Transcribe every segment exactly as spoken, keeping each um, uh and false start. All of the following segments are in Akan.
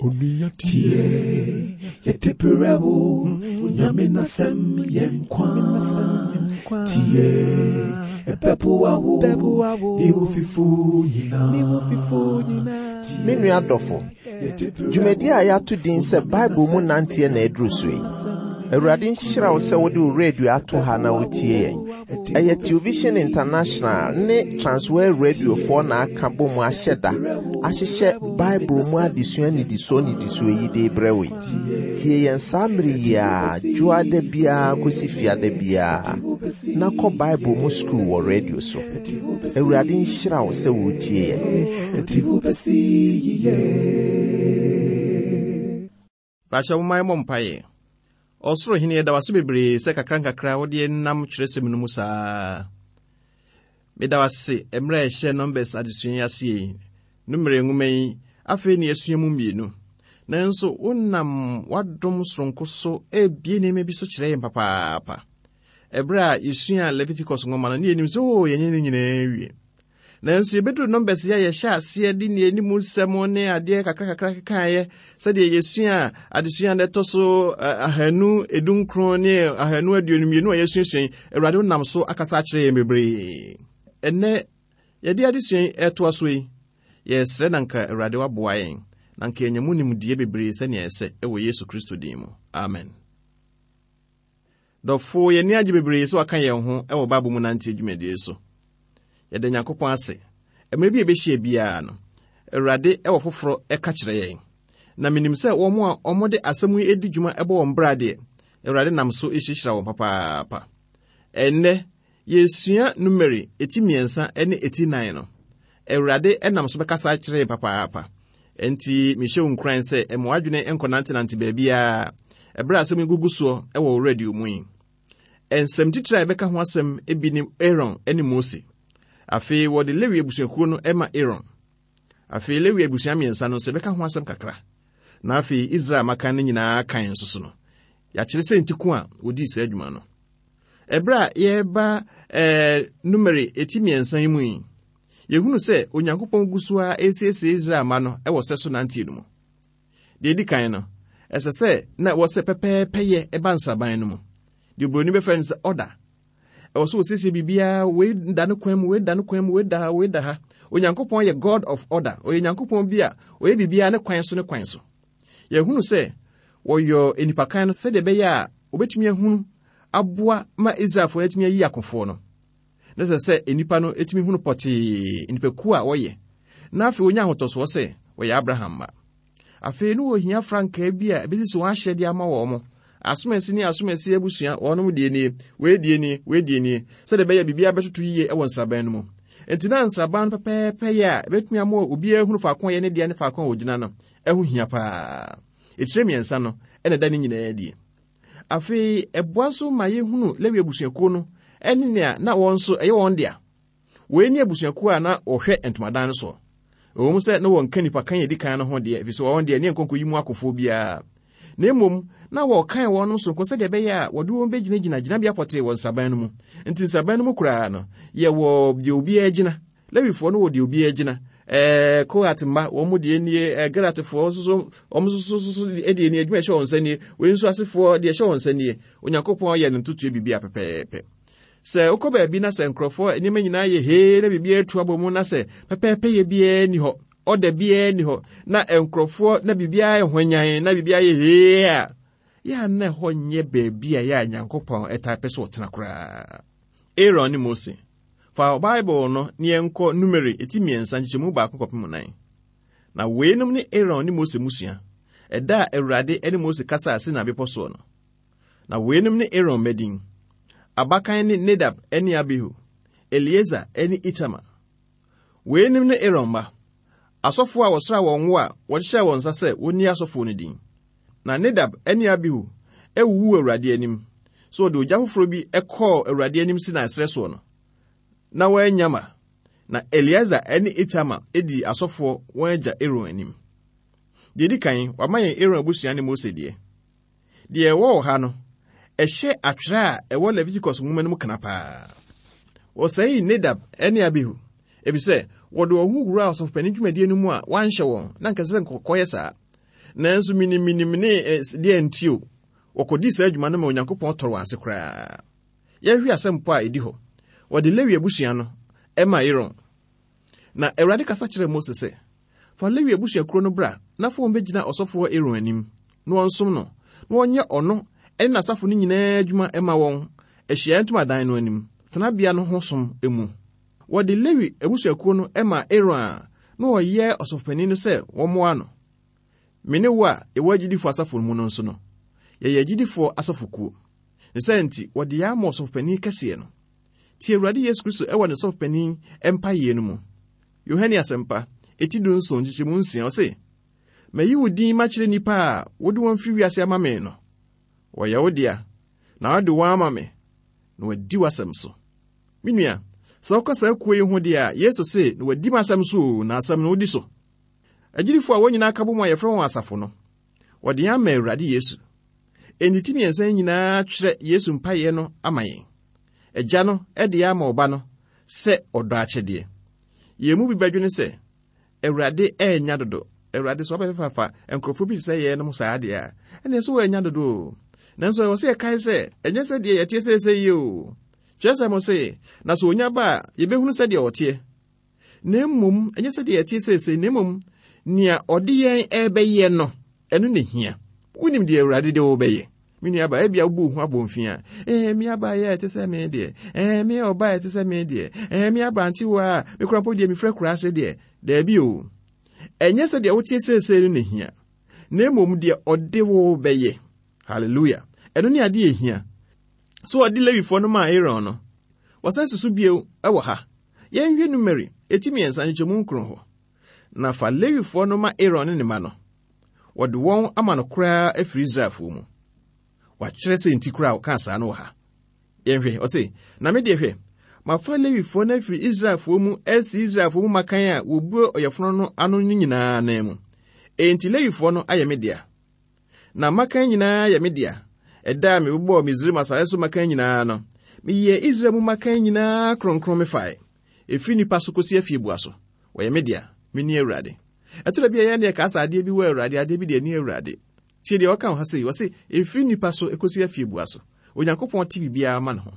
Tie, yɛde brɛ wo, Onyame n'asɛm yɛ nkwa. Tie, ɛbɛboa wo, ne wo fifo nyinaa. Me nua dɔfo, dwumadi a yɛato din sɛ Bible mu nanteɛ na aduru so yi. Awurade nhyira wo sɛ wode wo radio ato ha na wotie yɛn. Ɛyɛ Television International ne Transworld Radiofoɔ na aka bɔ mu ahyɛ da ahyehyɛ Bible mu adesua nnidisoɔ nnidisoɔ yi de brɛ wo yi. Tie yɛn saa mmere yi a dwoada biara kɔsi fiada biara na kɔ Bible mu sukuu wɔ radio so. Awurade nhyira wo sɛ wotie yɛn. Ɛde wo bɛsi yiye. Baakyɛ momma yɛmmɔ mpaeɛ. Ɔsoro hene, yɛda wase bebree sɛ kakra nkakra wode nam twerɛsɛm no mu saa. Meda wase mmerɛ a ɛhyɛ Numbers adesua yi ase yi. Numere nwoma yi, afei ne yɛasua mu mmienu. Nanso wonam w'adom soronko so ebie nneɛma bi so kyerɛ yɛn papaapa. Ɛberɛ a yɛsua Leviticus nwoma no, ne yɛnim sɛ oo yɛnyɛ ne nyinaa wie. Nanso yɛbɛduru Numbers yi a yɛhyɛ aseɛ de ne anim nsɛm ne adeɛ kakra kakra kekaeɛ sɛdeɛ yɛsua adesua no ɛtɔ so ahanu edunkron ne ahanu aduonu mmienu a yɛsuasua yi, Awurade wonam so akasa akyerɛ yɛn bebree. Ɛnnɛ yɛde adesua yi ɛtoa so yi, yɛsrɛ na nka Awurade waboa yɛn na nka yɛnya mu nimdeɛ bebree sɛnea ɛsɛ ɛwɔ Yesu Kristo din mu. Amen. Dɔfo, yɛn ani agye bebree sɛ waka yɛn ho ɛwɔ Bible mu nante dwumadie so. Yɛda Nyankopɔn ase. Mmerɛ bi a yɛbɛhyia biara no, Awurade ɛwɔ foforɔ ɛka kyerɛ yɛn. Na menim sɛ wɔn a wɔde asɛm yi adi dwuma ɛbɔ wɔn bra deɛ, Awurade nam so ehyiahyira wɔn papaapa. Ɛnnɛ, yɛsua Numeri eti mmiɛnsa ne eti nan no. Awurade ɛnam so bɛkasa akyerɛ yɛn papaapa. Enti mehyɛ wo nkuran sɛ ɛma w'adwene nkɔnantenante baabiara ɛberɛ a asɛm yi gugu soɔ ɛwɔ wo radio mu yi. Nsɛm titire a yɛbɛka ho asɛm bi ne Aaron ne Mose. Afei wɔde Lewi abusuakuo no ma Aaron. Afei Lewi abusua mmiɛnsa no nso yɛbɛka ho asɛm kakra. Na afei Israel mmakan no nyinaa kan nso so no, yɛakyerɛ sɛ nti ko a wɔdii saa adwuma no. Ɛberɛ a yɛreba ɛɛ Numeri eti mmiɛnsa yi mu yi, yɛhunu sɛ Onyankopɔn gu so a esiesie Israel mma no wɔ sɛ so nanteɛ no mu. Deɛ edi kan no, ɛsɛ sɛ na ɛwɔ sɛ pɛpɛɛpɛyɛ ɛba nsraban no mu. Deɛ oburoni bɛfrɛ no sɛ order. Ɛwɔ sɛ wɔsiesie biribiara, wei da ne kwan mu, wei da ne kwan mu, wei da ha, wei da ha. Onyankopɔn yɛ God of order. Ɔyɛ Nyankopɔn bi a ɔyɛ biribiara ne kwan so ne kwan so. Yɛhunu sɛ wɔyɔ nnipakan no sɛdeɛ ɛbɛyɛ a wɔbɛtumi ahunu aboa ma Israelfoɔ no atumi ayi akofoɔ no. Na sɛ sɛ nnipa no atumi hunu pɔtee nnipakuo a wɔyɛ. Na afei wɔnya ahotɔsoɔ sɛ wɔyɛ Abraham mma. Afei no wɔhia frankaa bi a ɛbɛsisi wɔn ahyɛdeɛ ama wɔn mo. Asomasi ne asomasi abusua, wɔnom deɛ nie, wei deɛ nie, wei deɛ nie, sɛdeɛ ɛbɛyɛ biribiara bɛtoto yie wɔ nsraban no mu. Enti na nsraban no pɛpɛɛpɛ yɛ a ɛbɛtumi ama obiara hunu faako a ɛyɛ ne deɛ ne faako a ogyina no, ɛho hia paa. Etire mmiɛnsa no ɛna ɛda ne nyinaa adi. Afei ɛboa nso ma yɛhunu Lewi abusuakuo no ɛne nea na wɔn nso ɛyɛ wɔn dea. Wei ne abusuakuo a na wɔhwɛ ntomadan no soɔ. Ɛwɔ mu sɛ na wɔnka nnipa kan a ɛdi kan no ho deɛ, ɛfiri sɛ wɔn deɛ ne nkɔnkɔ yi mu akofoɔ biara. Na mmom, na wɔkan wɔn sononko sɛdeɛ ɛbɛyɛ a wɔde wɔn bɛgyinagyina gyinabea pɔtee wɔ nsraban no mu. Nti nsraban no mu koraa no, yɛwɔ deɛ obiara gyina. Lewifoɔ no wɔ deɛ obiara gyina. Ɛɛ, Kohat mma, wɔn mu deɛ nie, ɛɛ, Geratfoɔ nso so, wɔn nso so so deɛ nie, adwuma ɛhyɛ wɔn nsa nie, wei nso asefoɔ deɛ ɛhyɛ wɔn nsa nie. Onyankopɔn yɛ no ntotoeɛ biribi a pɛpɛɛpɛ. Sɛ wokɔ baabi na sɛ nkurɔfoɔ nneɛma nyinaa yɛ hee na biribiara atu abɔ mu na sɛ pɛpɛɛpɛ yɛ biara nni hɔ, ɔda biara nni hɔ, na nkurɔfoɔ na biribiara yɛ hwanyan na biribiara yɛ hee a, yɛ a na ɛhɔ nyɛ baabi a yɛ a Nyankopɔn ɛtaa pɛ sɛ ɔtena koraa. Aaron ne Mose. Fa Bible no ne yɛnkɔ Numeri eti mmiɛnsa nkyekyɛmu baako kɔpem nan. Na weinom ne Aaron ne Mose mmusua, ɛda a Awurade ne Mose kasaa Sinai bepɔ soɔ no. Na weinom ne Aaron mmadin. Abakan ne Nadab ne Abihu, Eleazar ne Itamar. Weinom ne Aaron mma, asɔfoɔ a wɔsraa wɔn ngo a wɔhyehyɛɛ wɔn nsa sɛ wɔnni asɔfoɔ no din. Na Nadab ne Abihu awuwu Awurade anim, sɛ wɔde ogya foforɔ bi kɔɔ Awurade anim Sinai serɛ soɔ no, na wɔannya ma. Na Eleazar ne Itamar dii asɔfoɔ wɔn agya Aaron anim. Deɛ edi kan, wama yɛn Aaron abusua ne Mose deɛ. Deɛ ɛwɔ wɔ ha no, ɛhyɛ atwerɛ a ɛwɔ Leviticus nwoma no mu kana paa. Wɔsɛee Nadab ne Abihu, efisɛ wɔde wɔn ho wuraa ɔsɔfopanin dwumadie no mu a wɔanhyɛ wɔn na nka sɛ nkɔkɔyɛ saa. Nanso miniminim ne eh, deɛ nti o, wɔkɔdii saa adwuma no ma Onyankopɔn tɔre wɔn ase koraa. Yɛnhwɛ asɛm po a ɛdi hɔ. Wɔde Lewi abusua no ɛma Aaron. Na Awurade kasa kyerɛɛ Mose sɛ, fa Lewi abusuakuo no bra na fa wɔn bɛgyina ɔsɔfoɔ Aaron anim, na wɔnsom no, na wɔnyɛ ɔno ne n'asafo no nyinaa adwuma ɛma wɔn ahyiaeɛ ntomadan no anim, tenabea no ho som mu. Wɔde Lewi abusuakuo no ma Aaron a na ɔyɛ ɔsɔfopanin no sɛ wɔmmoa no. Me ne wo a yɛwɔ agyidifoɔ asafo mu no nso no, yɛyɛ agyidifoɔ asɔfokuo. Ne sɛ nti, wɔde yɛn ama ɔsɔfopanin kɛseɛ no. Tie Awurade Yesu Kristo ɛwɔ ne sɔfopanin mpaeɛ no mu. Yohane Asɛmpa, eti du nson nkyekyɛmu nsia, ɔse, Mayi wo din makyerɛ nnipa a wode wɔn firi wiase ama me no. Wɔyɛ wo dea, na wode wɔn ama me, na wɔadi w'asɛm so. Me nua, sɛ woka saa kuo yi ho deɛ a, Yesu se, na wɔadi m'asɛm so o, na asɛm no wodi so. Agyidifoɔ a wɔn nyinaa ka bɔ mu a yɛfrɛ wɔn asafo no, wɔde yɛn ama Awurade Yesu. Enti ti mmiɛnsa yi nyinaa twerɛ Yesu mpaeɛ no ama yɛn. Agya no de yɛn ama ɔba no sɛ ɔdɔ akyɛdeɛ. Yɛn mu bi bɛdwene sɛ, Awurade ɛnya dodo. Awurade sɛ ɔbɛfefafa nkurɔfoɔ bi te sɛ yɛn nom saa deɛ a, ɛnneɛ sɛ wɔanya dodo o. Nanso ɛwɔ sɛ yɛkae sɛ, ɛnyɛ sɛ deɛ yɛteɛ seesei yi o. Kyerɛ sɛ mo se, na sɛ onya ba a, yɛbɛhunu sɛdeɛ ɔteɛ. Na mmom, ɛnyɛ sɛ deɛ yɛteɛ seesei, na mmom, nea ɔde yɛn ɛrebɛyɛ no, ɛno na ehia. Wonim deɛ Awurade de wo bɛyɛ. Me nua ba, ebia wobu wo ho abɔmfia. Ɛɛ, me aba yɛ ɛte sɛ me deɛ. Ɛɛ, me ɔba ɛte sɛ me deɛ. Ɛɛ, me aberantewa a, me kura mpo deɛ mefiri akura ase deɛ. Daabi o. Ɛnyɛ sɛ deɛ woteɛ seesei no na ehia. Na mmom deɛ ɔde wo bɛyɛ. Hallelujah. Ɛno ne adeɛ ehia. So ɔde Lewifoɔ no maa Aaron no. Wɔsan susu bio ɛwɔ ha. Yɛnhwɛ Numeri, eti mmiɛnsa nkyekyɛmu nkron hɔ. Na fa Lewifoɔ no ma Aaron ne ne mma no. Wɔde wɔn ama no koraa afiri Israelfoɔ mu. Wakyerɛ sɛ nti koraa ɔkaa saa no wɔ ha. Yɛnhwɛ, ɔse, na me deɛ hwɛ, mafa Lewifoɔ no afiri Israelfoɔ mu asi Israelfoɔ mu mmakan a wɔbue ɔyɛfono no ano no nyinaa nan mu. Enti Lewifoɔ no ayɛ me dea. Na mmakan nyinaa yɛ me dea. Ɛda a mebobɔɔ Misraim asase so mmakan nyinaa no, meyɛɛ Israel mu mmakan nyinaa kronkron mefae. Ɛfiri nnipa so kɔsi afieboa so. Wɔyɛ me dea, me ne Awurade. Ɛtɔ bi a yɛn deɛ kaa sɛ adeɛ bi wɔ Awurade, adeɛ bi deɛ ni Awurade. Tie deɛ ɔka wɔ ha sei, ɔse, ɛfiri nnipa so ɛkɔsi afieboa so. Onyankopɔn te biribiara ma ne ho.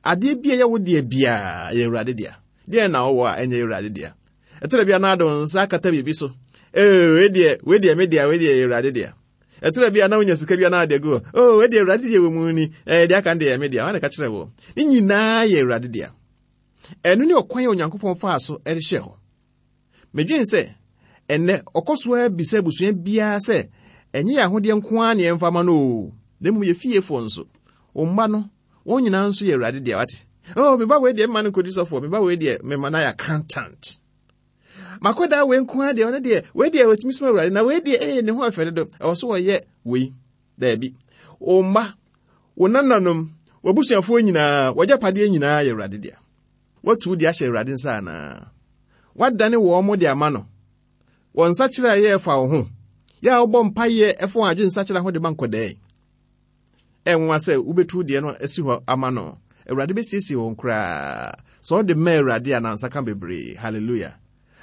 Adeɛ bi a ɛyɛ wo deɛ biara yɛ Awurade dea. Deɛ na wowɔ a ɛnyɛ Awurade dea. Ɛtɔ bi a na ade wo nsa akata biribi so. Ee, wei deɛ, wei deɛ me dea, wei deɛ yɛ Awurade dea. Ɛtɔ bi a na wonya sika bi a na ade agu hɔ. Oh, wei deɛ Awurade deɛ wɔ mu ni. Ɛɛ, deɛ aka no deɛ yɛ me dea. Wɔn na ka kyerɛ wɔ. Ne nyinaa yɛ Awurade dea. Ɛno ne ɔkwan a Onyankopɔn faa so de hyɛɛ hɔ. Medwene sɛ, ɛnnɛ ɔkɔ so ara bisa abusua biara sɛ, ɛnyɛ yɛn ahodeɛ nko ara na yɛmfa ma no o, na mmom yɛ fiefoɔ nso. Wo mma no, wɔn nyinaa nso yɛ Awurade dea, wate? Oh, me ba wei deɛ mma no nkɔdi sɔfoɔ, me ba wei deɛ mema no ayɛ accountant. Makɔdaa wei nko ara deɛ, ɔno deɛ, wei deɛ wɔtumi som Awurade, na wei deɛ, ee, ne ho afɛ dodo, ɛwɔ so wɔyɛ wei. Daabi. Wo mma, wo nananom, w'abusuafoɔ nyinaa, w'agyapadeɛ nyinaa yɛ Awurade dea. Watu wo de ahyɛ Awurade nsa anaa? Wadane wɔn mo de ama no. Wɔn nsakyera a ɛyɛ ɛfa wo ho. Yɛ a wobɔ mpayɛ ɛfa wɔn adwene nsakyera ho de ma nkɔdaa yi. Ɛnwa sɛ wobɛtu deɛ no asi hɔ ama no. Awurade bɛsiesie wɔn koraa. Sɛ ɔde ma Awurade a nansa ka bebree. Hallelujah.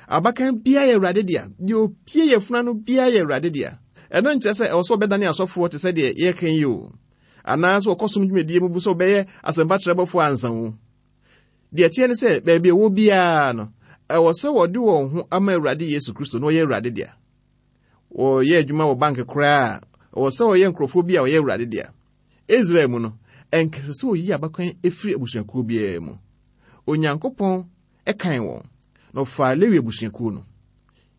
Abakan biara yɛ Awurade dea. Deɛ opie yɛ funu no biara yɛ Awurade dea. Ɛno nkyerɛ sɛ ɛwɔ sɛ ɔbɛdane asɔfoɔ te sɛ deɛ yɛka yi o. Anaasɛ wɔkɔ som dwumadie mu bu sɛ ɔbɛyɛ asɛmpatrɛbɔfoɔ ansa o. Deɛ ɛteɛ ne sɛ baabi a ɛwɔ biara no, ɛwɔ sɛ wɔde wɔn ho ama Awurade Yesu Kristo na ɔyɛ Awurade dea. Wɔyɛ adwuma wɔ bank koraa, ɛwɔ sɛ wɔyɛ nkurɔfoɔ bi a wɔyɛ Awurade dea. Israel mu no, ɛnkɛsɛ sɛ wɔyi abakan efiri abusuakuo biara mu. Onyankopɔn ɛkan wɔn, na ɔfaa Lewi abusuakuo no.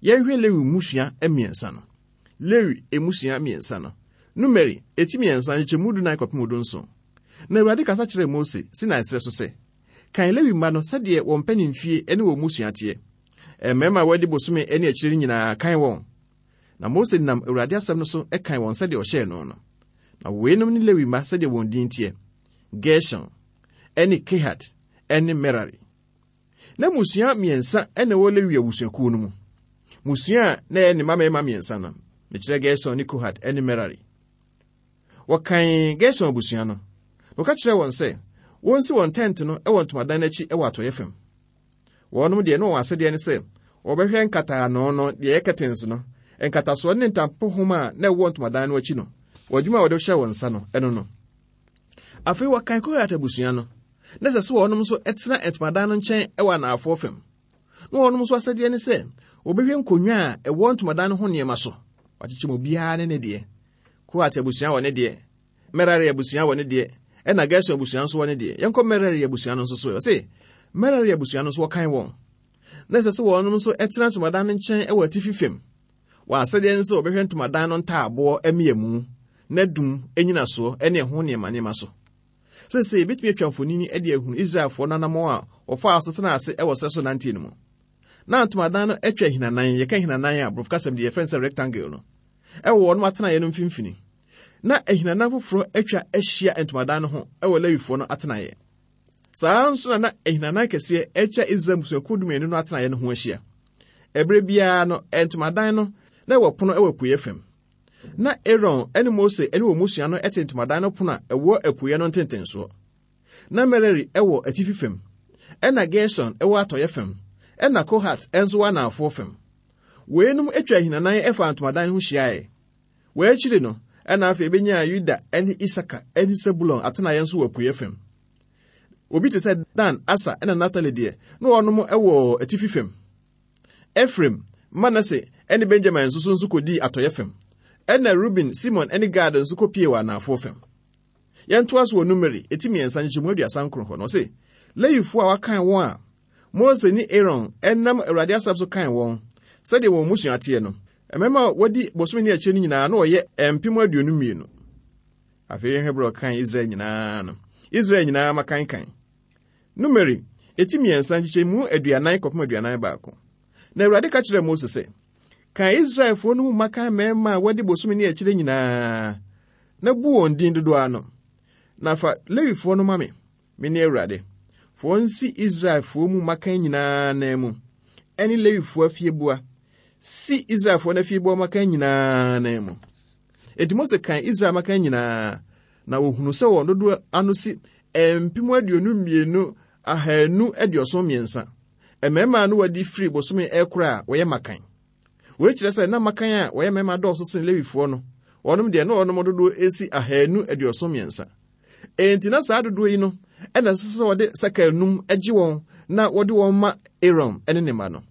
Yɛnhwɛ Lewi mmusua mmiɛnsa no. Lewi mmusua mmiɛnsa no. Numeri, eti mmiɛnsa, nkyekyɛmu dunan kɔpem du nson. Na Awurade kasa kyerɛɛ Mose, Sinai serɛ so sɛ, kan Lewi mma no sɛdeɛ wɔn mpanimfie ne wɔn mmusua teɛ. Mmarima a wɔadi bosome ne akyire no nyinaa kan wɔn. Na Mose nam Awurade asɛm no so kan wɔn sɛdeɛ ɔhyɛɛ no no. Na weinom ne Lewi mma sɛdeɛ wɔn din teɛ: Gerson, ne Kehat, ne Merari. Na mmusua mmiɛnsa na ɛwɔ Lewi abusuakuo no mu. Mmusua a na ɛyɛ ne mma mmarima mmiɛnsa no, mekyerɛ Gerson ne Kohat ne Merari. Wɔkan Gerson abusua no, na wɔka kyerɛɛ wɔn sɛ wɔnsi wɔn tɛnte no wɔ ntomadan no akyi wɔ atɔeɛ fam. Wɔnom deɛ na wɔn asɛdeɛ ne sɛ wɔbɛhwɛ nkataano no, deɛ ɛyɛ curtains no, Nkatasoɔ ne ntampohoma a na ɛwɔ ntomadan no akyi no, wɔ adwuma a wɔde hyɛ wɔn nsa no, ɛno no. Afei wɔkan Kohat abusua no, na ɛsɛ sɛ wɔnom nso tena ntomadan no nkyɛn wɔ anaafoɔ fam. Na wɔnom nso asɛdeɛ ne sɛ wɔbɛhwɛ nkonnwa a ɛwɔ ntomadan no ho nneɛma so. Wɔakyekyɛ mu obiara ne ne deɛ. Kohat abusua wɔ ne deɛ, Merari abusua wɔ ne deɛ, ɛna Gerson abusua nso wɔ ne deɛ. Yɛnkɔ Merari abusua no nso so. Ɔse, Merari abusua no nso wɔkan wɔn. Na ɛsɛ sɛ wɔnom nso tena ntomadan no nkyɛn wɔ atifi fam. Wɔn asɛdeɛ ne sɛ wɔbɛhwɛ ntomadan no ntaaboɔ mmeamu, n'adum, nnyinasoɔ ne ɛho nneɛma nneɛma so. Seesei yɛbɛtumi atwa mfonini de ahunu Israelfoɔ no anammɔn a wɔfaa so tenaa ase wɔ serɛ so nanteɛ no mu. Na ntomadan no atwa ahinanan, yɛka ahinanan a borɔfo kasɛm deɛ yɛfrɛ no sɛ rectangle no, ɛwɔ wɔn atenaeɛ no mfimfini. Na ahinanan foforɔ atwa ahyia ntomadan no ho wɔ Lewifoɔ no atenaeɛ. Saa nso na na ahinanan kɛseɛ atwa Israel mmusuakuo dumienu no atenaeɛ no ho ahyia. Ɛberɛ biara no, ntomadan no na ɛwɔ pono wɔ apueeɛ fam. Na Aaron ne Mose ne wɔn mmusua no te ntomadan no pono a ɛwɔ apueeɛ no ntentensoɔ. Na Merari wɔ atifi fam, ɛna Gerson wɔ atɔeɛ fam, ɛna Kohat nso wɔ anaafoɔ fam. Weinom atwa ahinanan fa ntomadan no ho hyiaeɛ. Wɔn akyiri no, ɛna afei ebenyaa Yuda ne Isaka ne Sebulon atenaeɛ nso wɔ apueeɛ fam. Obi te sɛ Dan, Asa ne Naftali deɛ, na wɔnom wɔ atifi fam. Efraim, Manase ne Benjamin nso so nso kɔdii atɔeɛ fam. Ɛna Ruben, Simon ne Gad nso kɔpie wɔ anaafoɔ fam. Yɛntoa so wɔ Numeri, eti mmiɛnsa nkyekyɛmu aduasa nkron hɔ no, ɔse, Lewifoɔ a wɔakan wɔn a Mose ne Aaron nam Awurade asɛm so kan wɔn, sɛdeɛ wɔn mmusua teɛ no, mmarima a wɔadi bosome ne akyire no nyinaa na wɔyɛ mpem aduonu mmienu. Afei yɛhwɛ berɛ a ɔkan Israel nyinaa no. Israel nyinaa makankan. Numeri, eti mmiɛnsa nkyekyɛmu aduanan kɔpem aduanan baako. Na Awurade ka kyerɛɛ Mose sɛ, Kan Israelfoɔ no mu mmakan mmarima a wɔadi bosome ne akyire nyinaa, na bu wɔn din dodoɔ ano. Na fa Lewifoɔ no ma me, mene Awurade. Fa wɔn si Israelfoɔ mu mmakan nyinaa nan mu, ɛne Lewifoɔ afieboa. Si Israelfoɔ no afieboa mmakan nyinaa nan mu. Enti Mose kan Israel mmakan nyinaa, na wɔhunu sɛ wɔn dodoɔ ano si mpem aduonu mmienu ahanu aduɔson mmiɛnsa. Mmarima no wɔadi firi bosome ɛkoro a wɔyɛ mmakan. Wei kyerɛ sɛ na mmakan a wɔyɛ mmarima dɔɔso sen Lewifoɔ no. Wɔnom deɛ na wɔnom dodoɔ esi ahanu aduɔson mmiɛnsa. Enti na saa dodoɔ yi no ɛna ɛsɛ sɛ wɔde sɛkel num gye wɔn na wɔde wɔn ma Aaron ne ne mma no.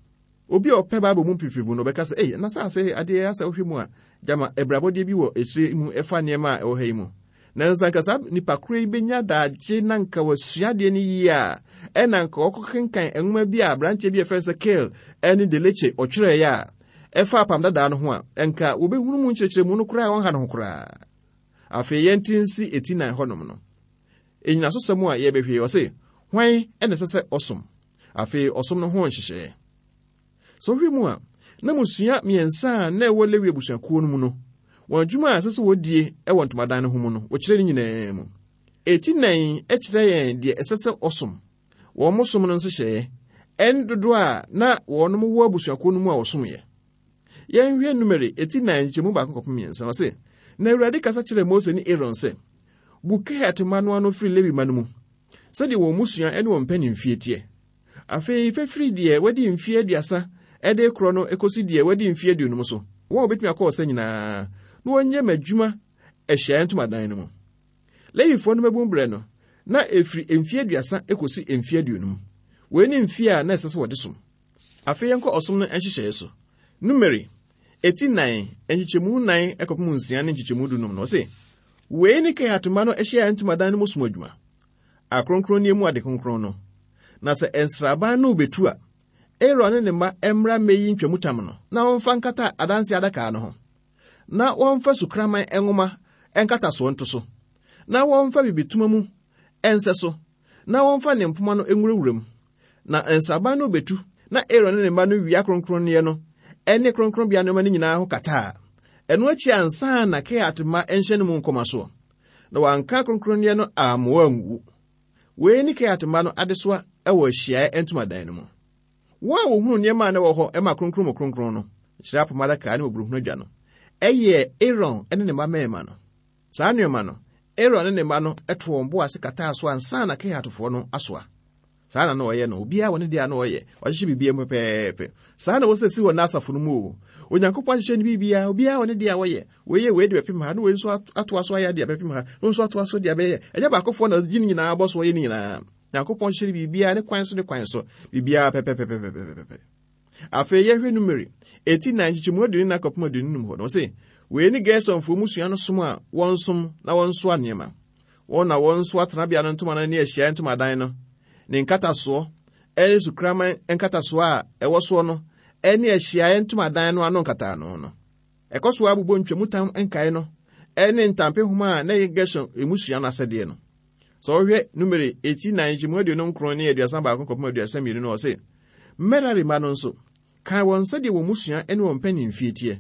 Obi a ɔpɛ Bible mu mfimfini no ɔbɛka sɛ, "Ei, na saa sɛ adeɛ asɛ wohwɛ mu a, gyama abrabɔdeɛ bi wɔ akyire mu ɛfa nneɛma a ɛwɔ ha yi mu." Nanso anka saa nipa koro yi bɛnya daagye na nka wasua adeɛ no yie a, ɛna nka ɔkɔkenkan nwoma bi a aberanteɛ bi a yɛfrɛ no sɛ Keil ne Delitzsch ɔtwerɛeɛ a ɛfa apam dadaa no ho a, nka wɔbɛhunu mu nkyerɛkyerɛmu no koraa a ɔnha ne ho koraa. Afei yɛnte nsi eti nan hɔnom no. Enyinasosɛm a yɛbɛhwɛ yi, ɔse, hwan na ɛsɛ sɛ ɔsom? Afei ɔsom no ho nhyehyɛeɛ. Sɛ wohwɛ mu a, na mmusua mmiɛnsa a na ɛwɔ Lewi abusuakuo no mu no, wɔn adwuma a ɛsɛ sɛ wɔdie wɔ ntomadan no ho mu no, wɔkyerɛ ne nyinaa mu. Eti nan kyerɛ yɛn deɛ ɛsɛ sɛ ɔsom. Wɔn som no nhyehyɛeɛ, ɛne dodoɔ a na wɔnom wɔ abusuakuo no mu a wɔsomyɛ. Yɛnhwɛ Numeri eti nan nkyɛmu baako kɔpem mmiɛnsa. Ɔse, na Awurade kasa kyerɛɛ Mose ne Aaron sɛ, Bu Kehat mma no ano firi Lewi mma no mu, sɛdeɛ wɔn mmusua ne wɔn mpanimfie teɛ. Afei fa firi deɛ wadi mfeɛ aduasa de korɔ no kɔsi deɛ wadi mfeɛ aduonum so, wɔn a wɔbɛtumi akɔ ɔsa nyinaa, na wɔnyɛ m'adwuma ahyiaeɛ ntomadan no mu. Lewifoɔ no mmabun berɛ no, na ɛfiri mfeɛ aduasa kɔsi mfeɛ aduonum. Wei ne mfeɛ a na ɛsɛ sɛ wɔde som. Afei yɛnkɔ ɔsom no nhyehyɛeɛ so. Numeri, eti nan, nkyekyɛmu nan kɔpem nsia ne nkyekyɛmu dunum no, ɔse, Wei ne Kehat mma no ahyiaeɛ ntomadan no mu som adwuma, akronkronneɛ mu ade kronkron no. Na sɛ nsraban no rebetu a, Aaron ne ne mma mmra mmɛyi ntwamutam no, na wɔmfa nkata adanse adaka no ho, na wɔmfa sukraman nwoma nkatasoɔ nto so, na wɔmfa bibitoma mu ɛnsɛ so, na wɔmfa ne mpoma no nwurawura mu. Na nsraban no betu, na Aaron ne ne mma no wia kronkronneɛ no ne kronkronbea nneɛma no nyinaa ho kata a, ɛno akyi ansa na Kehat mma nhyɛ no mu nkɔma soɔ, na wɔanka kronkronneɛ no ammoa anwuwu. Wei ne Kehat mma no adesoa wɔ ahyiaeɛ ntomadan no mu. Wɔn a wɔhunu nneɛma a na ɛwɔ hɔ ma kronkron mu kronkron no, kyerɛ apam adaka ne mmɔborɔhunu adwa no, ɛyɛ Aaron ne ne mma mmarima no. Saa nneɛma no, Aaron ne ne mma no to wɔn bo ase kataa so ansa na Kehatfoɔ no asoa. Saa na na ɔyɛ no. Obiara wɔ ne deɛ a na ɔyɛ. Wahyehyɛ biribiara mu pɛpɛɛpɛ. Saa na wɔsɛ si wɔ n'asafo no mu o. Onyankopɔn ahyehyɛ ne biribiara, obiara wɔ ne deɛ a wɔyɛ. Wei yɛ wei de bɛpem ha, na wei nso atoa so ayɛ de abɛpem ha, na nso atoa so de abɛyɛ. Ɛnyɛ baakofoɔ na ɔgye ne nyinaa bɔ so ɔyɛ ne nyinaa. Nyankopɔn hyehyɛ biribiara ne kwan so ne kwan so. Biribiara pɛpɛpɛpɛpɛpɛpɛ. Afei yɛhwɛ Numeri eti nan nkyekyɛmu aduonu na kɔpem aduonu num hɔ no, ɔse wei ne Gersonfoɔ mmusua no som a wɔnsom na wɔnsoa nneɛma. Wɔn na wɔnsoa tenabea no ntoma no ne ahyiaeɛ ntomadan no, ne nkatasoɔ, ɛne sukraman nkatasoɔ a ɛwɔ soɔ no, ɛne ahyiaeɛ ntomadan no ano nkataano no. Ɛkɔ so abobɔ ntwamutam nkae no, ɛne ntampehoma a na ɛyɛ Gerson mmusua no asɛdeɛ no. Sɛ wohwɛ Numeri eti nan nkyekyɛmu aduonu nkron ne aduasa baako kɔpem aduasa mmienu no, ɔse Merari mma no nso, kan wɔn sɛdeɛ wɔn mmusua ne wɔn mpanimfie teɛ.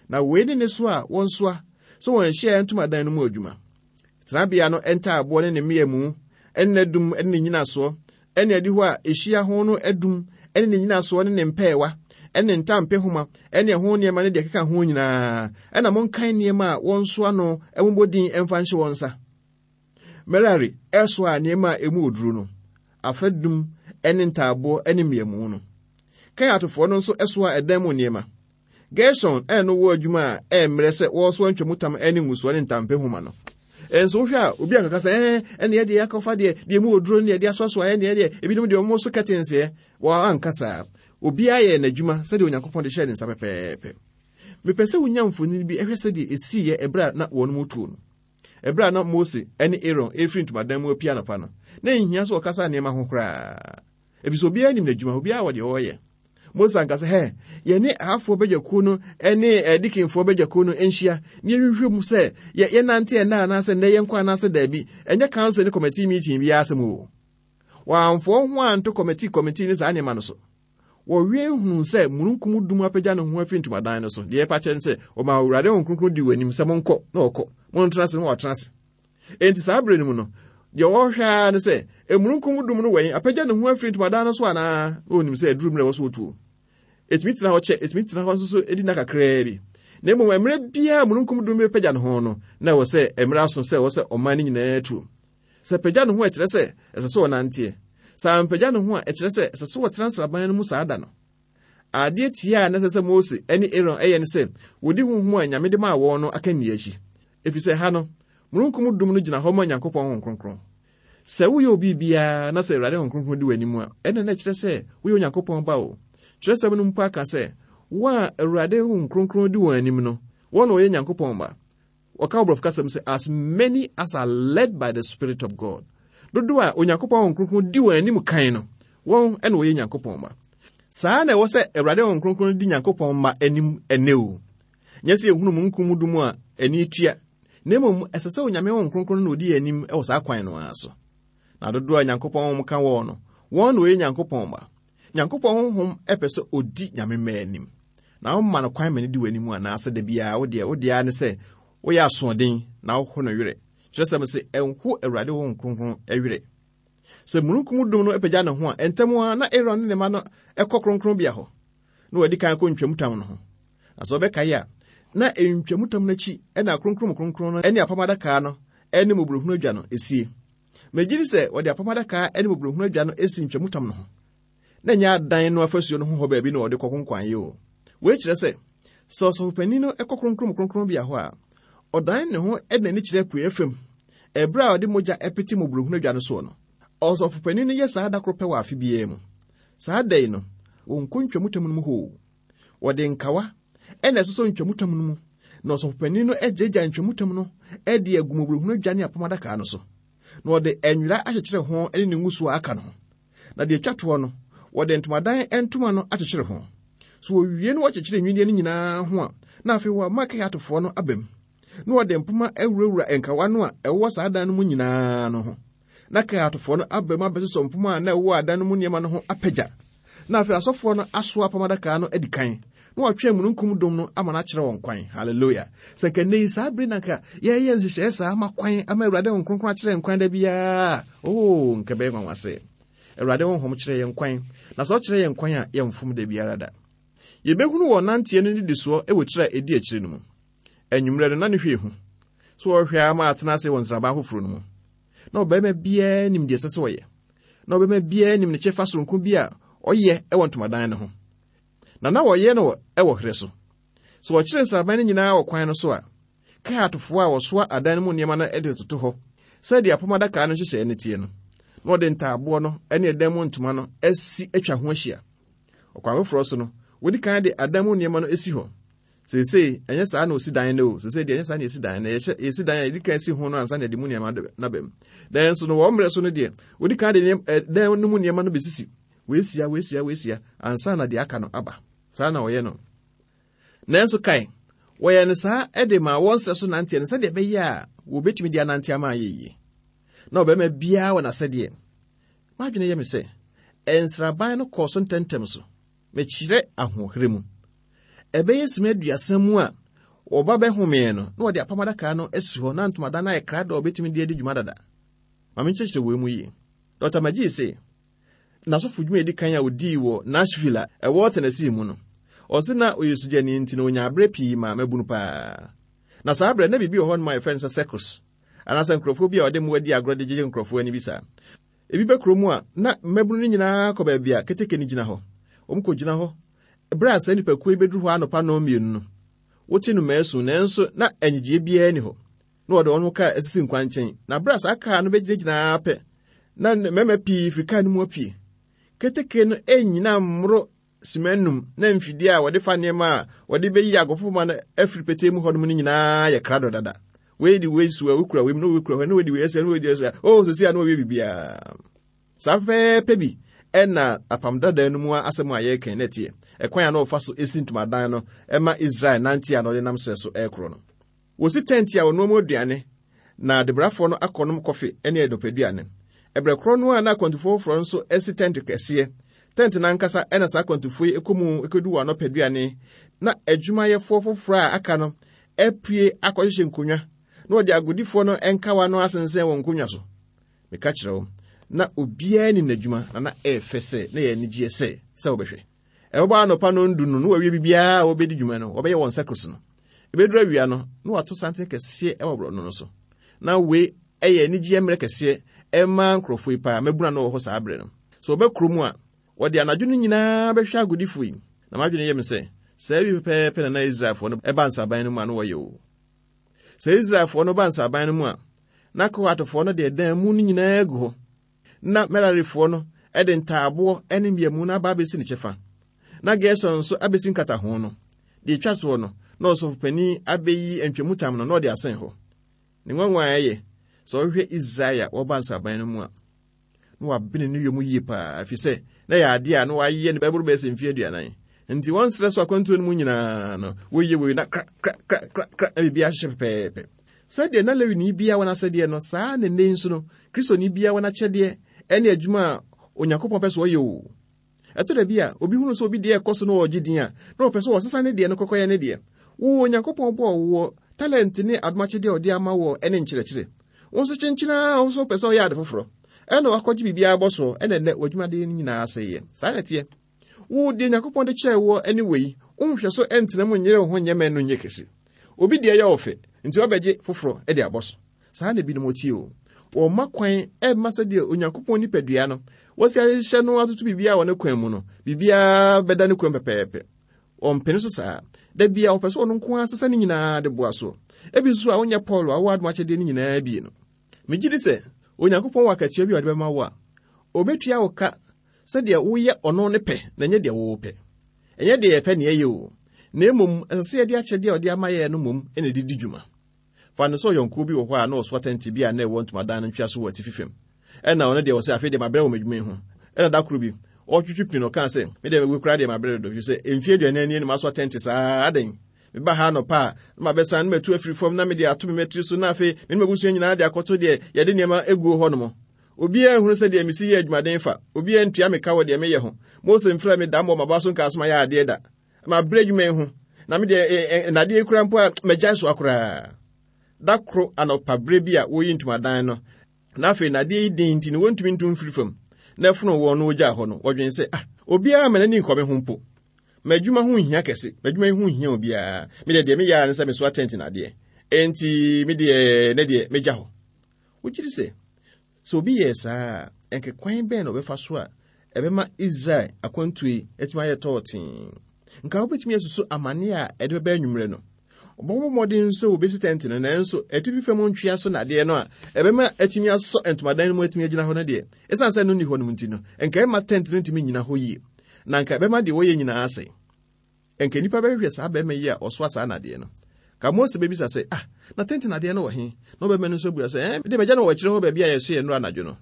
Na wei ne ne so a wɔnsoa sɛ wɔn ahyiaeɛ ntomadan no mu adwuma. Tenabea no ntaaboɔ ne ne mmeamu, ne n'adum ne ne nnyinasoɔ, ne adihɔ a ɛhyia ho no adum ne ne nnyinasoɔ ne ne mpɛɛwa, ne ne ntampehoma, ne ɛho nneɛma ne deɛ ɛkeka ho nyinaa. Ɛna monkan nneɛma a wɔnsoa no mmobɔ din mfa nhyɛ wɔn nsa. Merari ɛsoa nneɛma a emu oduro no, afadum ne ntaaboɔ ne mmeamu no. Kehatfoɔ no nso ɛsoa ɛdan mu nneɛma. Gerson ɛno wɔ adwuma a ɛmmerɛ sɛ wɔresoa ntwamutam ne ngusoɔ ne ntampehoma no. Ɛnso wohwɛ a obi ankaka sɛ ɛɛ ɛne ɛdeɛ akɔfa deɛ deɛ mu oduro ne ɛde asoasoa ɛne ɛdeɛ ebinom deɛ ɔmo so kɛtenseɛ wɔn anka saa. Obiara yɛ n'adwuma sɛdeɛ Onyankopɔn de hyɛɛ ne nsa pɛpɛɛpɛ. Mepɛ sɛ wonya mfonini bi ɛhwɛ sɛdeɛ esiiɛ ɛberɛ a na wɔn mu tuo no. Ɛberɛ a na Mose ne Aaron efiri ntomadan mu apia anɔpa no, na nhia sɛ ɔkasa nneɛma ho koraa. Efisɛ obiara nim n'adwuma, obiara wɔ deɛ ɔreyɛ. Mose anka sɛ, hɛ, yɛne ahafoɔ badwakuo no ne adikinfoɔ badwakuo no nhyia na yɛhwehwɛ mu sɛ yɛ yɛnante ɛnna anaasɛ nnɛ yɛnkɔ anaasɛ daabi. Ɛnyɛ council ne committee meeting biara asɛm o. Wɔamfoɔ ho anto committee committee ne saa nneɛma no so. Wɔwie hunu sɛ mununkum dum apagya ne ho afiri ntomadan no so. Deɛ ɛpa kyerɛ ne sɛ ɔma Awurade Honhom Kronkron di wɔn anim sɛ monkɔ na wɔkɔ, montena ase na wɔatena ase. Enti saa bere no mu no, deɛ wɔhwɛ ara ne sɛ emununkum dum no wɛn apagya ne ho afiri ntomadan no so anaa, na onim sɛ aduru mmerɛ wɔ so wɔtuo. Ɛtumi tena hɔ kyɛ, ɛtumi tena hɔ nso so ɛdi nna kakraa bi. Na mmom mmerɛ biara mununkum dum bɛpagya ne ho no, na ɛwɔ sɛ mmerɛ aso sɛ ɛwɔ sɛ ɔman no nyinaa tuo. Sɛ pagya ne ho a ɛkyerɛ sɛ ɛsɛ sɛ ɔnanteɛ. Sɛ ampagya ne ho a ɛkyerɛ sɛ ɛsɛ sɛ wɔtena nsraban no mu saa da no. Adeɛ tia a na ɛsɛ sɛ Mose ne Aaron ɛyɛ ne sɛ wɔdi honhom a Nyame de maa wɔn no akanni akyi. Ɛfiri sɛ ha no, mununkum dum no gyina hɔ ma Nyankopɔn Honhom Kronkron. Sɛ woyɛ obi biara na sɛ Awurade Honhom Kronkron di w'anim a, ɛnna na ɛkyerɛ sɛ woyɛ Onyankopɔn ba o. Kyerɛsɛm no mpo aka sɛ, wɔn a Awurade Honhom Kronkron di wɔn anim no, wɔn na wɔyɛ Nyankopɔn ba. Wɔka wɔ Borɔfo kasa mu sɛ, as many as are led by the Spirit of God. Dodoɔ a Onyankopɔn Honhom Kronkron di wɔn anim kan no, wɔn na wɔyɛ Nyankopɔn ba. Saa na ɛwɔ sɛ Awurade Honhom Kronkron di Nyankopɔn mma anim ɛnɛ o. Nyɛ sɛ yɛhunu mununkum dum a ani tua, na mmom ɛsɛ sɛ Onyame Honhom Kronkron na odi yɛn anim wɔ saa kwan no ara so. Na dodoɔ a Nyankopɔn Honhom ka wɔn no, wɔn na wɔyɛ Nyankopɔn mma. Nyankopɔn Honhom ɛpɛ sɛ odi Nyame mma anim. Na woma no kwan ma no di w'anim anaasɛ da biara wo deɛ, wo deɛ ara ne sɛ woyɛ asoɔden na woho no werɛ. Kyerɛsɛm sɛ ɛnho Awurade Honhom Kronkron werɛ. Sɛ mununkum dum no apagya ne ho a, ɛntɛm ara na Aaron ne ne mma no ɛkɔ kronkronbea hɔ, na wɔadi kan kɔ ntwamutam no ho. Na sɛ wɔbɛkae a, na ntwamutam no akyi ɛna kronkron kronkron no ne apam adaka no ne mmɔborɔhunu adwa no esie. Megye di sɛ wɔde apam adaka ne mmɔborɔhunu adwa no esi ntwamutam no ho. Na ɛnyɛ adan no afasuo no ho hɔ baabi na wɔde kɔ konkwan yi o. Wei kyerɛ sɛ, sɛ ɔsɔfopanin no kɔ kronkron kronkronbea hɔ a, ɔdan ne ho de n'ani kyerɛ apueeɛ fam, ɛberɛ a ɔde mogya pete mmɔborɔhunu adwa no soɔ no. Ɔsɔfopanin no yɛ saa da koro pɛ wɔ afe biara mu. Saa da yi no, wɔnkɔ ntwamutam no mu hɔ o. Wɔde nkawa ɛna ɛsosɔ ntwamutam no mu, na ɔsɔfopanin no agyagya ntwamutam no de agu mmɔborɔhunu adwa ne apam adaka no so. Na wɔde nwera akyekyere ho ne ne ngusoɔ aka no ho. Na deɛ etwa toɔ no, wɔde ntomadan ntoma no akyekyere ho. So wɔwie no wɔkyekyere nnwinneɛ no nyinaa ho a, na afei wɔama Kehatfoɔ no aba mu. Na wɔde mpoma awurawura nkawa no a ɛwɔ saa dan no mu nyinaa no ho. Na Kehatfoɔ no aba mu abɛsosɔ mpoma a na ɛwɔ adan no mu nneɛma no ho apagya. Na afei asɔfoɔ no asoa apam adaka no adi kan. Na wɔatwe mununkum dum no ama no akyerɛ wɔn kwan. Hallelujah. Sɛ nka nnɛ yi saa bere na nka yɛyɛ nhyehyɛeɛ saa ama kwan ama Awurade Honhom Kronkron akyerɛ yɛn kwan da biara. Oh, nka bɛyɛ nwanwa sɛ Awurade Honhom kyerɛ yɛn kwan. Na sɛ ɔkyerɛ yɛn kwan a, yɛmfom da biara da. Yɛbɛhunu wɔn nanteɛ no nnidisoɔ wɔ tiri a ɛdi akyire no mu. Anwummerɛ no na ne hwɛ ehu. So wɔhwɛ ama atena ase wɔ nsraban foforɔ no mu. Na ɔbarima biara nim deɛ ɛsɛ sɛ ɔyɛ. Na ɔbɛma biara nim ne kyɛfa soronko bi a ɔyɛ wɔ ntomadan no ho. Na na wɔyɛ no wɔ herɛ so. Sɛ wɔkyerɛ nsraban no nyinaa wɔ kwan no so a, Kehatfoɔ a wɔsoa adan no mu nneɛma no de toto hɔ sɛdeɛ apam adaka no nhyehyɛeɛ no teɛ no, na wɔde ntaaboɔ no ne ɛdan mu ntoma no asi atwa ho ahyia. Ɔkwan foforɔ so no, wɔdi kan de adan mu nneɛma no si hɔ. Seesei, ɛnyɛ saa na osi dan no o. Seesei deɛ, ɛnyɛ saa na yɛsi dan no. Yɛhyɛ yɛsi dan a, yɛdi kan si ho no ansa na yɛde mu nneɛma no aba mu. Nanso no, wɔn mmerɛ so no deɛ, wɔdi kan de nneɛma dan no mu nneɛma no bɛsisi. Wɔasia, wɔasia, wɔasia, ansa na deɛ aka no aba. Saa na wɔyɛ no. Nanso kae, wɔyɛ no saa de ma wɔn serɛ so nanteɛ no sɛdeɛ ɛbɛyɛ a wɔbɛtumi de anante ama ayɛ yie. Na ɔbarima biara wɔ n'asɛdeɛ. M'adwene yɛ me sɛ, nsraban no kɔɔ so ntɛmntɛm so. Mekyerɛ ahoɔherɛ mu. Ɛbɛyɛ sima aduasa mu a wɔba bɛhomee no, na wɔde apam adaka no asi hɔ na ntomadan no ayɛ krado a wɔbɛtumi de adi dwuma dada. Ma menkyerɛkyerɛ wei mu yie. Dɔkta McGee se, n'asɔfo dwuma a edi kan a odii wɔ Nashville a ɛwɔ Tennessee mu no, ɔse na ɔyɛ sugyani nti na onya berɛ pii ma mmabunu paa. Na saa berɛ na biribi wɔ hɔnom a yɛfrɛ no sɛ circus, anaasɛ nkurɔfoɔ bi a wɔde mmoa di agorɔ de gyegye nkurɔfoɔ ani bi saa. Ebi bɛ kurom a, na mmabunu no nyinaa kɔ baabi a keteke no gyina hɔ. Wɔn kɔgyina hɔ. Berɛ a saa nnipakuo yi bɛduru hɔ anɔpa nnɔn mmienu no, wote nnomaa su, nanso na anigyeɛ biara nni hɔ. Na wɔde wɔn kaa asisi nkwankyɛn. Na berɛ a saa kaa no bɛgyinagyina ara pɛ, na mmarima pii firi kaa no mu apue. Keteke no nnyina mmoro sima nnum na mfidie a wɔde fa nneɛma a wɔde bɛyi agofomma no afiri petee mu hɔnom no nyinaa yɛ krado dada. Wei de wei so a wokura wei mu na wokura hɔ na wei de wei asia na wei de asia. Oh, sisi a na wɔwie biribiara. Saa pɛpɛɛpɛ bi ɛna apam dada no mu asɛm a yɛreka na ɛteɛ. Ɛkwan a na wɔfa so esi ntomadan no ɛma Israel nante a na ɔde nam serɛ so ɛrekorɔ no. Wɔsi tɛnte a wɔnoa mu aduane na adebrafoɔ no akɔnom kɔfe ne anɔpaduane. Ɛberɛ korɔ no a na akwantufoɔ foforɔ nso asi tɛnte kɛseɛ. Tɛnte no ankasa ɛna saa akwantufoɔ yi kɔ mu kɔdu wɔn anɔpaduane, na adwumayɛfoɔ foforɔ a aka no apue akɔhyehyɛ nkonnwa na wɔde agodifoɔ no nkawa no asensɛn wɔn nkonnwa so. Meka kyerɛ wo, na obiara nim n'adwuma na na ɛyɛ fɛ sɛ na ɛyɛ anigyeɛ sɛ sɛ wobɛhwɛ. Ɛbɛbɔ anɔpa nɔndu no na wɔawie biribiara a wɔbɛdi dwuma no, wɔbɛyɛ wɔn circus no. Ɛbɛduru awia no, na wɔato santen kɛseɛ wɔ borɔno no so. Na wei ɛyɛ anigyeɛ mmerɛ kɛseɛ ɛma nkurɔfoɔ yi paa, mmabunu a na wɔwɔ hɔ saa berɛ no. Sɛ wɔba kurom a, wɔde anadwo no nyinaa bɛhwɛ agodifoɔ yi. Na m'adwene yɛ me sɛ, saa bi pɛpɛɛpɛ na na Israelfoɔ no ba nsraban no mu a na wɔyɛ o. Sɛ Israelfoɔ no ba nsraban no mu a, na Kohatfoɔ no de ɛdan mu no nyinaa gu hɔ. Na Merarifoɔ no de ntaaboɔ ne mmeamu no aba abɛsi ne kyɛfa. Na Gerson nso abɛsi nkataho no. Deɛ ɛtwa soɔ no, na ɔsɔfopanin abɛyi ntwamutam no na ɔde asɛn hɔ. Ne nwanwa a ɛyɛ, sɛ ɔhwehwɛ Israel a wɔba nsraban no mu a, na wabene ne yom yie paa, ɛfiri sɛ na ɛyɛ adeɛ a na wayɛ no bɛboro bɛyɛ sɛ mfeɛ aduanan. Nti wɔn serɛ so akwantuo no mu nyinaa no, wɔyɛ wei na kra kra kra kra kra na biribi ahyehyɛ pɛpɛɛpɛ. Sɛdeɛ na Lewini biara wɔ n'asɛdeɛ no, saa na nnɛ nso no, Kristoni biara wɔ n'akyɛdeɛ ne adwuma a Onyankopɔn pɛ sɛ ɔyɛ o. Ɛtɔ da bi a, obi hunu sɛ obi deɛ ɛkɔ so na ɔregye din a, na ɔpɛ sɛ ɔsesa ne deɛ no kɔkɔyɛ ne deɛ. Wo, Onyankopɔn bɔɔ woɔ, talent ne adomakyɛdeɛ a ɔde ama woɔ ne nkyerɛkyerɛ. Wo nso kyenkyena a wo nso wopɛ sɛ ɔyɛ ade foforɔ. Ɛna wakɔgye biribiara bɔ soɔ, ɛna ɛnɛ w'adwumadeɛ no nyinaa asɛeɛ. Saa na ɛteɛ. Wo deɛ Nyankopɔn de kyɛɛ woɔ ne wei, wonhwɛ so ɛntena mu nyere wo ho nyɛ mɛ no nyɛ kɛse. Obi deɛ yɛ ɔfɛ, nti ɔbɛgye foforɔ de abɔ so. Saa na ebinom tie o. Wɔmma kwan ɛmma sɛdeɛ Onyankopɔn nipadua no, wɔsi ahyehyɛ no atoto biribiara wɔ ne kwan mu no, biribiara bɛda ne kwan pɛpɛɛpɛ. Wɔmpene so saa. Da bia wɔpɛ sɛ ɔno nko ara sesa ne nyinaa de boa soɔ. Ebi nso a wonyɛ Paul a wowɔ adom akyɛdeɛ no nyinaa bi no. Megye di sɛ Onyankopɔn wɔ akatua bi a ɔde bɛma wo a, obetua wo ka sɛdeɛ woyɛ ɔno ne pɛ na ɛnyɛ deɛ wowɔ pɛ. Ɛnyɛ deɛ yɛpɛ ne ɛyɛ o. Na mmom, ɛsɛ sɛ yɛde akyɛdeɛ a ɔde ama yɛn no mmom na ɛde di dwuma. Fa no sɛ ɔyɔnkoɔ bi wɔ hɔ a na ɔsoa tɛnte bi a na ɛwɔ ntomadan no ntwea so wɔ atifi fam. Ɛna ɔno deɛ wɔ sɛ afei deɛ mabrɛ wɔ m'adwuma yi ho. Ɛna da koro bi, ɔtwitwi pin no ɔkaa sɛ, me deɛ mewu koraa deɛ mabrɛ dodo, ɛfiri sɛ mfeɛ aduanan nie na masoa tɛnte saa adɛn. Meba ha anɔpa a, na mabɛsan na matu afiri fam na mede ato me mmatiri so na afei me ne m'abusua nyinaa de akɔto deɛ yɛde nneɛma aguo hɔ nom. Obiara nhunu sɛ deɛ mesi yɛ adwumaden fa. Obiara ntua me ka wɔ deɛ meyɛ ho. Mose mfrɛ me da mmɔ m'aba so nkaa so mayɛ adeɛ da. Mabrɛ adwuma yi ho. Na me deɛ nnadeɛ kura mpo a magyae soa koraa. Da koro anɔpa berɛ bi a wɔyi ntomadan no, na afei nnadeɛ yi den nti no wɔntumi ntu mfiri fam. Na ɛfono wɔn no wɔgyaa hɔ no, wɔdwen sɛ, ah, obiara ma n'ani nkɔ me ho mpo. M'adwuma ho nhia kɛse. M'adwuma yi ho nhia obiara. Me deɛ deɛ meyɛ ara ne sɛ mesoa tɛnte nadeɛ. Enti me deɛ ne deɛ megya hɔ. Wogye di sɛ, sɛ obi yɛɛ saa a, Ɛnka kwan bɛn na ɔbɛfa so a ɛbɛma Israel akwantuo yi atumi ayɛ tɔɔtee? Nka wobɛtumi asusu amane a ɛde bɛba anwummerɛ no. Ɔbɛbɔ mmɔden sɛ wɔbɛsi tɛnte no, nanso atifi fam ntwea so nadeɛ no a ɛbɛma atumi asɔ ntomadan no mu atumi agyina hɔ no deɛ, ɛsiane sɛ no nni hɔ nom nti no, nka ɛma tɛnte no ntumi nnyina hɔ yie, na nka ɛbɛma deɛ wɔyɛ nyinaa asɛe. Nka nnipa bɛhwehwɛ saa bɛrima yi a ɔsoa saa nadeɛ no. Ka Mose bɛbisa sɛ, ah, na tɛnte nadeɛ no wɔ he? Na ɔbɛrima no nso abua sɛ, eh, mede magya no wɔ akyire hɔ baabi a yɛso yɛ nnora anadwo no.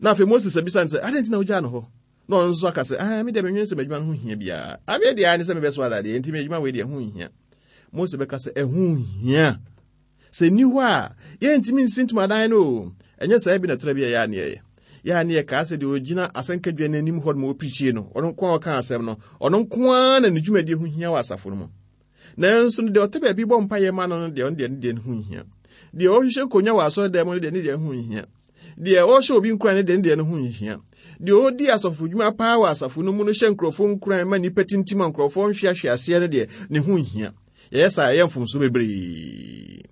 Na afei Moses abisa no sɛ, adɛn nti na wogyaa no hɔ? Na ɔno nso aka sɛ, ah, me deɛ menwene sɛ m'adwuma no ho hia biara. Ameɛ deɛ ne sɛ mebɛsoa dadeɛ, nti m'adwuma wei deɛ ho nhia. Mose bɛka sɛ, ɛho hia. Sɛ nni hɔ a, yɛntumi nsi ntomadan no o. Ɛnyɛ saa bi na ɛtɔrɔ bi a yɛ a ne yɛyɛ. Yɛ a ne yɛkaa sɛ deɛ ɔgyina asɛnkadwa no anim hɔ no ma ɔpirikyie no, ɔno nko a ɔka asɛm no, ɔno nko ara na ne dwumadie ho hia wɔ asafo no mu. Nanso no deɛ ɔte baabi bɔ mpayɛ ma no no deɛ, ɔno deɛ ne deɛ no ho nhia. Deɛ ɔhyehyɛ nkonnwa wɔ asɔredan mu no deɛ, ne deɛ ho nhia. Deɛ ɔhyɛ obi nkuran no deɛ, ne deɛ no ho nhia. Deɛ ɔdi asɔfo dwuma paa wɔ asafo no mu no hyɛ nkurɔfoɔ nkuran ma nnipa tintim a nkurɔfoɔ nhweahwe aseɛ no deɛ, ne ho nhia. Yɛyɛ saa, ɛyɛ mfomso bebree.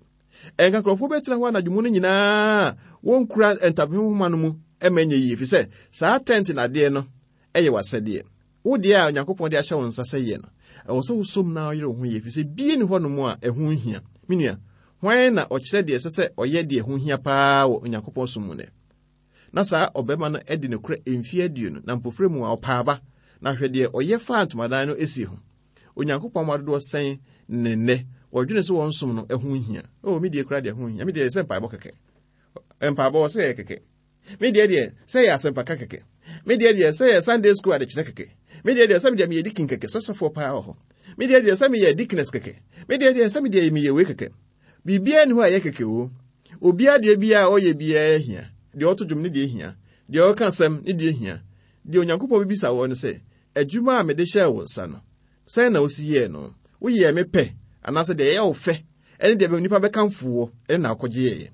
Ɛnka nkurɔfoɔ bɛtena hɔ anadwo mu no nyinaa wɔnkura ntampehoma nhoma no mu ɛma ɛnyɛ yie, ɛfiri sɛ saa tɛnte nadeɛ no ɛyɛ w'asɛdeɛ. Wo deɛ a Onyankopɔn de ahyɛ wo nsa sɛ yɛ no, ɛwɔ sɛ wosom na ɔyere wo ho yie, ɛfiri sɛ bie ni hɔ nom a ɛho nhia. Me nua, hwan na ɔkyerɛ deɛ ɛsɛ sɛ ɔyɛ deɛ ɛho hia paa wɔ Onyankopɔn som mu nɛ? Na saa ɔbɛrima no adi nokorɛ mfeɛ aduonu, na mpofrɛ mu a ɔpaa aba, na hwɛ deɛ ɔyɛ faa ntomadan no esi ho. Onyankopɔn ma dodoɔ sɛn ne nnɛ wɔdwene sɛ wɔn som no ɛho hia. Oh, me deɛ kura deɛ ho hia. Me deɛ sɛ mpaebɔ kɛkɛ. Mpaebɔ wɔ sɛ yɛ kɛkɛ. Me deɛ deɛ sɛ yɛ asɛmpaka kɛkɛ. Me deɛ deɛ sɛ yɛ Sunday school adekyerɛ kɛkɛ. Me deɛ deɛ sɛ me deɛ meyɛ deacon kɛkɛ, sɔsɔfoɔ paa wɔ hɔ. Me deɛ deɛ sɛ meyɛ deaconess kɛkɛ. Me deɛ deɛ sɛ me deɛ meyɛ wei kɛkɛ. Biribiara ni hɔ a ɛyɛ kɛkɛ o. Obiara deɛ biara a ɔyɛ biara hia. Deɛ ɔto dwom ne deɛ hia. Deɛ ɔka asɛm ne deɛ hia. Deɛ Onyankopɔn bɛbisa wɔ no sɛ, adwuma a mede hyɛɛ wo nsa no, sɛn na wosi yɛɛ no? Woyɛɛ me pɛ, anaasɛ deɛ ɛyɛ wo fɛ, ɛne deɛ nnipa bɛkamfo wɔ, ɛne na akɔgye yɛɛ.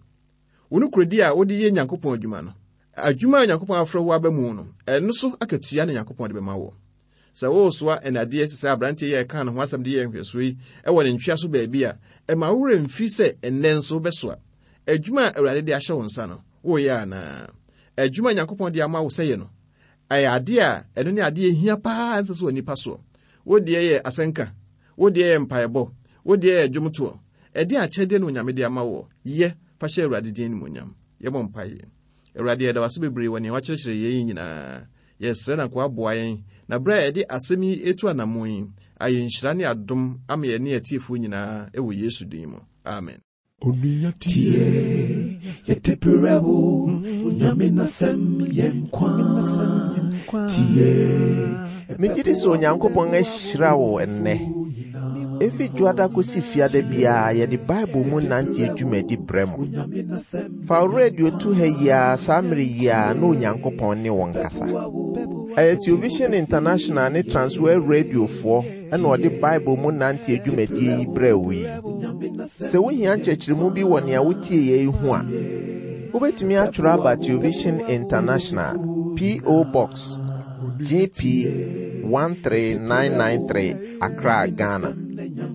Wo nokorɛdi a wode yɛ Nyankopɔn adwuma no, adwuma a Nyankopɔn afrɛ wo aba mu no, ɛno so akatua na Nyankopɔn de bɛma wo. Sɛ woresoa ɛnadeɛ sɛ sɛ aberanteɛ yi a ɛka ne ho asɛm de yɛ nhwɛsoɔ yi ɛwɔ ne ntwea so baabi a, ɛma wo werɛ mfiri sɛ ɛnnɛ nso wobɛsoa. Adwuma a Awurade de ahyɛ wo nsa no, woreyɛ anaa? Adwuma a Nyankopɔn de ama wo sɛ yɛ no, ɛyɛ adeɛ a ɛno ne adeɛ hia paa ɛnsɛ sɛ wɔ nipa soɔ. Wo deɛ yɛ asɛnka, wo deɛ yɛ mpaebɔ, wo deɛ yɛ dwomtoɔ. Ɛdeɛ akyɛdeɛ na Onyame de ama wo, yɛ fa hyɛ Awurade din animuonyam. Yɛbɔ mpaeɛ. Awurade, yɛda wo ase bebree wɔ nea wakyerɛkyerɛ yɛn yi nyinaa. Yɛsrɛ na nka woaboa yɛn, na berɛ a yɛde asɛm yi etu anammɔn yi, ayɛ nhyira ne adom ama yɛn ne atiefoɔ nyinaa ɛwɔ Yesu din mu. Amen. Onua tie, yɛde brɛ wo, Onyame n'asɛm yɛ nkwa. Tie, Megye di sɛ Onyankopɔn ahyira wo ɛnnɛ. Efi dwoada kosi fiada biara yɛde Bible mu nante dwumadi brɛ mo. Fa wo radio to ha yi ara saa mmere yi ara na Onyankopɔn ne wo nkasa. Ɛyɛ Television International ne Transworld Radiofoɔ ɛna ɔde Bible mu nante dwumadie yi brɛ wo yi. Sɛ wohia nkyerɛkyerɛmu bi wɔ nea wotie yɛ yi ho a, wobɛtumi atwerɛ aba Television International, P O. Box G P one three nine nine three, Accra, Ghana.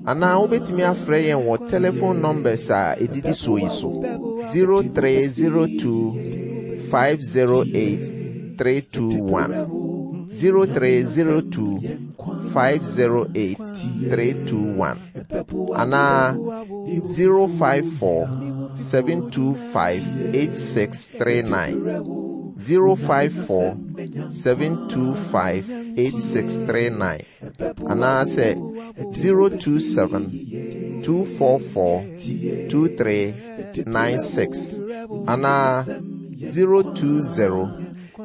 Anaa wobɛtumi afrɛ yɛn wɔ telephone numbers a ɛdidi soɔ yi so: zero three zero two five zero eight three two one, zero three zero two five zero eight three two one, anaa zero five four seven two five eight six three nine, zero five four seven two five eight six three nine, anaasɛ zero two seven two four four two three nine six, anaa zero two zero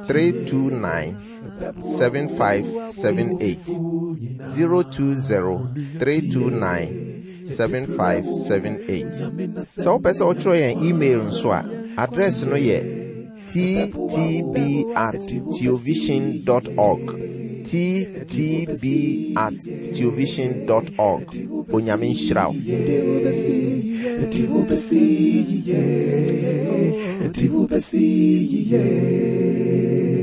three two nine seven five seven eight, zero two zero three two nine seven five seven eight. Sɛ wopɛ sɛ wotwerɛ yɛn email nso a, address no yɛ T T B at theovision dot org, T T B at theovision dot org. Onyame nhyira wo. Yɛde wo bɛsi, yɛde wo bɛsi yie, yɛde wo bɛsi yie.